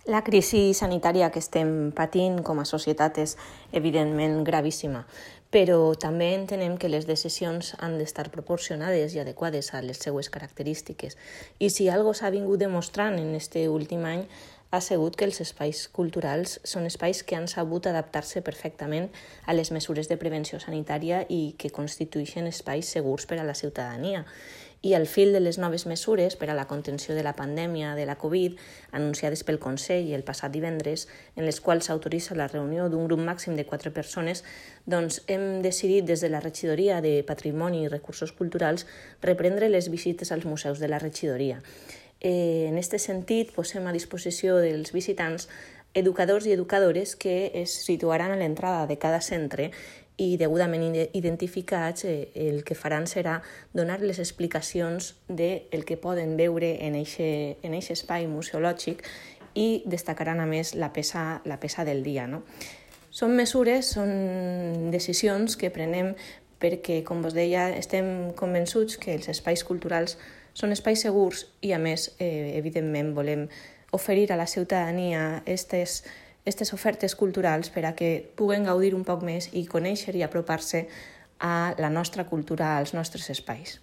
La crisi sanitària que estem patint com a societat és evidentment gravíssima, però també entenem que les decisions han d'estar proporcionades i adequades a les seues característiques. I si algo s'ha vingut demostrant en aquest últim any ha sigut que els espais culturals són espais que han sabut adaptar-se perfectament a les mesures de prevenció sanitària i que constitueixen espais segurs per a la ciutadania. I al fil de les noves mesures per a la contenció de la pandèmia de la Covid, anunciades pel Consell el passat divendres, en les quals s'autoritza la reunió d'un grup màxim de 4 persones, doncs hem decidit des de la Regidoria de Patrimoni i Recursos Culturals reprendre les visites als museus de la regidoria. En aquest sentit, posem a disposició dels visitants educadors i educadores que es situaran a l'entrada de cada centre i degudament identificats, el que faran serà donar les explicacions del que poden veure en aquest espai museològic i destacaran a més la peça del dia. No? Són mesures, són decisions que prenem perquè, com vos deia, estem convençuts que els espais culturals són espais segurs i, a més, evidentment, volem oferir a la ciutadania aquestes ofertes culturals per a que puguen gaudir un poc més i conèixer i apropar-se a la nostra cultura, als nostres espais.